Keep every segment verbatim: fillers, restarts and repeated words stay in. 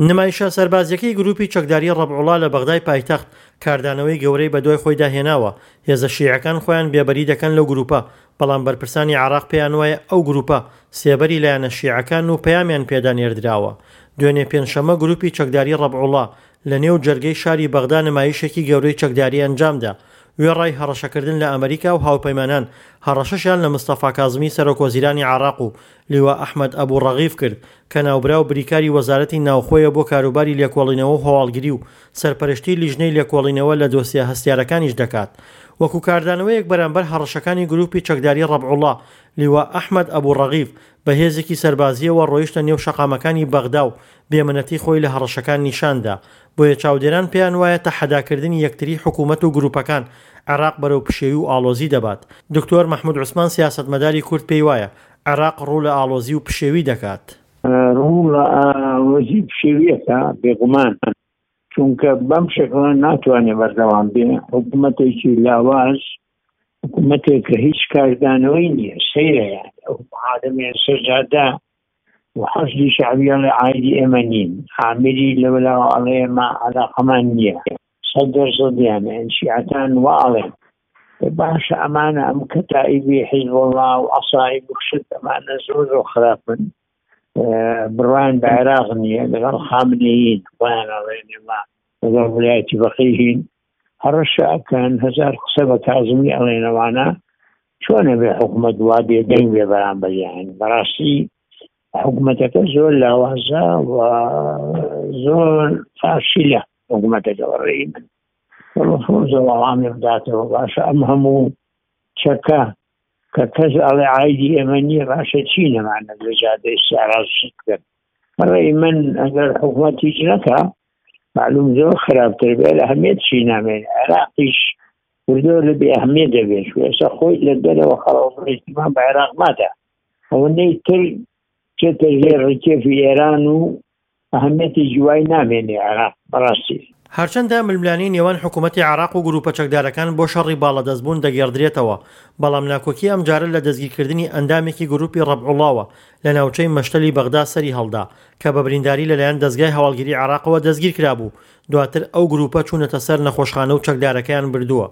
نمایشە سەربازیەکەی گروپی چەکداری ڕەبعوڵا لە بەغدای پایتەخت کاردانەوەی گەورەی بەدوای خۆیدا هێناوە. هێزە شیعەکان خۆیان بێبەری دەکەن لەو گروپە، بەڵام بەرپرسانی عێراق پێیان وایە ئەو گروپە سێبەری لایەنە شیعەکان و پەیامیان پێدا نێردراوە. دوێنێ پێنجشەممە گروپی چەکداری ڕەبعوڵا لە نێو جەرگەی شاری بەغدا نمایشێکی گەورەی چەکداری ئەنجامدا، وێڕای هەڕەشەکردن لە ئەمریکا و هاوپەیمانان، هەڕەشەشیان لە مستەفا کازمی سەرۆکوەزیرانی عێراق و لیوا ئەحمەد ئەبو ڕەغیف کرد کە ناوبراو بریکاری وەزارەتی ناوخۆیە بۆ کاروباری لێکۆڵینەوە و هەواڵگری و سەرپەرشتی لیژنەی لێکۆڵینەوە لە دۆسیە هەستیارەکانیش دەکات. وەکو کاردانەوەیەک بەرامبەر هەڕەشەکانی گروپی چەکداری ڕەبعوڵا، لیوا ئەحمەد ئەبو ڕەغیف بە هێزێکی سەربازییەوە ڕۆیشتە نێو شەقامەکانی بەغدا و بێمنەتی خۆی لە هەڕەشەکان نیشاندا. بۆیە چاودێران پێیان وایە تەحەداکردنی یەکتری حکوومەت و گروپەکان عێراق بەرەو پشێوی و ئاڵۆزی دەبات. دکتۆر مەحمود عوسمان سیاسەتمەداری کورد پێی وایە عێراق ڕوو لە ئاڵۆزی و پشێوی دەکات. ڕوو لە ئاڵۆزی پشێویەکە بێگومان، چونکە بەم شکڵە ناتوانێت بەردەوام بێ. حکوومەتێکی لاواز، حکوومەتێک کە هیچ کاردانەوەی نییە، سەیرە یان ئەو عالەمێ سەرجادا و حەشدی شەعبی ئەڵێ عایدی ئێمە نین، عامری لەولاوە ئەڵێ ئێمە عەلاقەمان نییە، سەد دەرسەدیان یان شیعەکان وا ئەڵێن. باشە ئەمانە ئەم کەتائیبی حیزبوڵڵا و عەسائیب و شت ئەمانە زۆر زۆر خراپن، بڕوایان بە عێراق نییە، لەگەڵ خامنەیین خۆیان ئەڵێن ئێمە لەگەڵ ویلایەتی فەقیهین، هەڕەشە ئەکەن، هەزار قسە بە کازمی ئەڵێنەوانە. چۆنە بێ حکوومەت وا بێدەنگ بێ بەرامبەریان؟ بەڕاستی حکوومەتەکە زۆر لاوازە و زۆر فاشیلە حکوومەتەکە بەڕێی من. ڕفوزە وەڵامی بداتەوە. باشە ئەم هەموو چەکە کە کەس ئەڵێ عایدی ئێمە نییە، باشە چی نەمانە لە جادەی سیاراز شت بکەن؟ بەڕێی من ئەگەر حکوومەت هیچ نەکا معلوم زۆر خراپتر بێ، لە ئەهمیەت چی نامێنێ. عێراقیش وردۆ لە بێ ئەهمیەت دەبێت، چون ئێستا خۆی لە دەرەوە خەڵک اهتمام بە عێراق مادە، ئەوەندەی تر چێتە ژێر ڕکێفی ئێران و ئەهمیەتی جوای نامێنێ عێراق بەڕاستی. هەرچەندە ململانێی نێوان حکوومەتی عێراق و گروپە چەکدارەکان بۆ شەڕی باڵەدەستبوون دەگێڕدرێتەوە، بەڵام ناکۆکی ئەمجارە لە دەستگیرکردنی ئەندامێکی گروپی ڕەبعوڵاوە لە ناوچەی مەشتەلی بەغدا سەری هەڵدا کە بە برینداری لەلایەن دەزگای هەواڵگیری عێراقەوە دەستگیرکرابوو. دواتر ئەو گروپە چوونەتە سەر نەخۆشخانە و چەکدارەکەیان بردووە.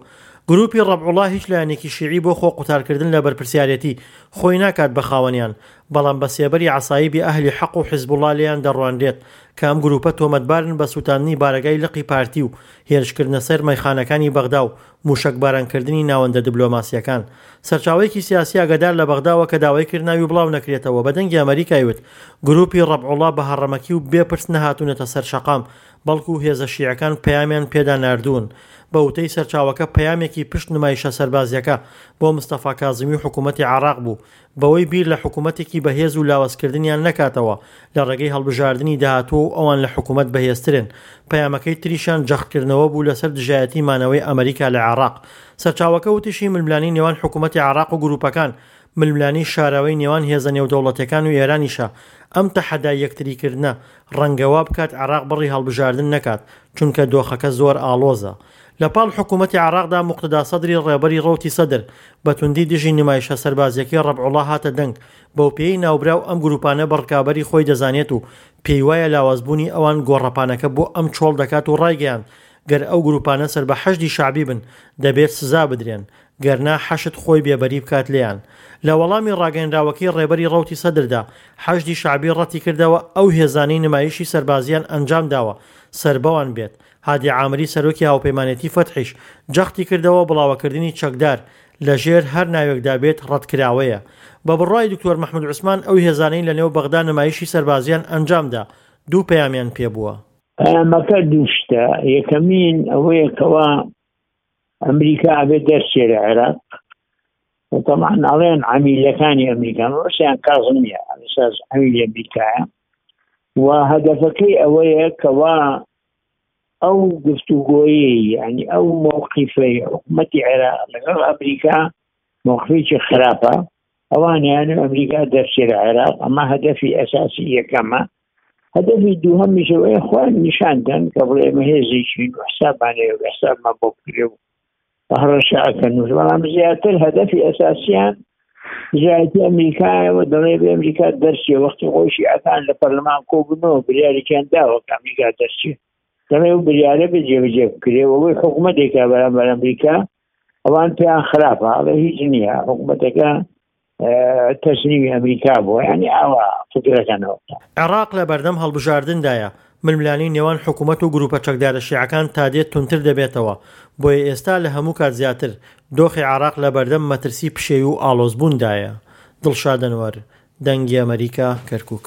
گروپی ڕەبعوڵا هیچ لایەنێکی شیعی بۆ خۆ قوتارکردن لە بەرپرسیارێتی خۆی ناکات بە خاوەنیان، بەڵام بە سێبەری عەسایبی ئەهلی حەق و حیزبوڵا لێیان دەڕوانرێت کە ئەم گروپە تۆمەتبارن بە سووتاندنی بارەگای لقی پارتی و هێرشکردنە سەر مەیخانەکانی بەغدا و موشەکبارانکردنی ناوەندە دبلۆماسیەکان. سەرچاوەیەکی سیاسی ئاگادار لە بەغداوە کە داوای کرد ناوی بڵاو نەکرێتەوە بە دەنگی ئەمەریکای وت گروپی ڕەبعوڵا بە هەڕەمەکی و بێ پرس نەهاتوونەتە سەر شەقام، بەڵکو هێزە شیعەکان پەیامیان پێدا ناردوون. بە وتەی سەرچاوەکە پەیامێکی پشت نمایشە سەربازیەکە بۆ مستەفا کازمی و حکوومەتی عێراق بوو بەوەی بیر لە حکوومەتێکی بەهێز و لاوازکردنیان نەکاتەوە لە ڕێگەی هەڵبژاردنی داهاتوو و ئەوان لە حکوومەت بەهێزترن. پەیامەکەی تریشیان جەختکردنەوە بوو لەسەر دژایەتی مانەوەی ئەمریکا لە عێراق. سەرچاوەکە وتیشی ململانێی نێوان حکوومەتی عێراق و گروپەکان ململانێی شاراوەی نێوان هێزە نێودەوڵەتیەکان و ئێرانیشە. ئەم تەحەدای یەکتریکردنە ڕەنگە وا بکات عێراق بڕی هەڵبژاردن نەکات، چونکە دۆخەکە زۆر ئاڵۆزە. لە پاڵ حکوومەتی عێراقدا موقتەدا سەدری ڕێبەری ڕەوتی سەدر بە توندی دژی نمایشە سەربازیەکەی ڕەبعوڵا هاتە دەنگ، بەوپێیەی ناوبراو ئەم گروپانە بە ڕکابەری خۆی دەزانێت و پێی وایە لاوازبوونی ئەوان گۆڕەپانەکە بۆ ئەم چۆڵ دەکات و ڕایگەیاند گەر ئەو گروپانە سەر بە حەشدی شەعبی بن دەبێت سزا بدرێن، گەرنا حەشد خۆی بێبەری بکات لێیان. لە وەڵامی ڕاگەیەنراوەکەی ڕێبەری ڕەوتی سەدردا حەشدی شەعبی ڕەتیکردەوە ئەو هێزانەی نمایشی سەربازیان ئەنجامداوە سەربەوان بێت. هادی عامری سەرۆکی هاوپەیمانێتی فەتحیش جەختی کردەوە بڵاوەکردنی چەکدار لەژێر هەر ناوێکدا بێت ڕەتکراوەیە. بە بڕوای دکتۆر مەحمود عوسمان ئەو هێزانەی لەنێو بەغدا نمایشی سەربازیان ئەنجامدا دوو پەیامیان پێبووە. پەیامەکە دوو شتە. یەکەمین ئەوەیە کەوا ئەمریکا ئەبێت دەرچێ لە عێراق. طبعا ئەڵێن عەمیلەکانی ئەمریکا، ڕووسیان کازمیە ئەساس عەمیلی ئەمریکایە و هەدەفەکەی ئەوەیە کەوا ئەو گفتوگۆیەی یعنی ئەو مەوقیفەی حکوومەتی عێراق لەگەڵ ئەمریکا مەوقفێکی خراپە، ئەوانیان ئەمریکا دەرچێ لە عێراق. ئەمە هەدەفی ئەساسی یەکەمە. هەدەفی دووهەمیش ئەوەیە خۆیان نیشان دەن کە بڵێ ئێمە هێزێکین و حسابمان هەیە و حسابمان بۆ بکرێ و هەڕەشە ئەکەن. بەڵام زیاتر هەدەفی ئەساسیان دژایەتی ئەمریکایەوە دەڵێ بێ ئەمریکا دەرچێ وەختی خۆی شیعەکان لە پەرلەمان کۆبوونەوە بریارێکیان داوە کە ئەمریکا دەرچێ دەڵێ ئەو بریارە بێ جێبەجێ بکرێ ئەوەی حکوومەتێکە بەرامبەر ئەمریکا ئەوان پێیان خراپە ئەڵێ هیچ نییە حکوومەتەکە تەسلیمی ئەمریکا بووە یعنی ئاوا فکرەکەنەوە. عێراق لە بەردەم هەڵبژاردندایە، ململانێی نێوان حکومەت و گروپە چەکدارە شیعەکان تادێت توندتر دەبێتەوە، بۆیە ئێستا لە هەموو کات زیاتر دۆخی عێراق لە بەردەم مەترسی پشێوی و ئاڵۆزبووندایە. دڵشاد ئەنوەر، دەنگی ئەمەریکا، کەرکوک.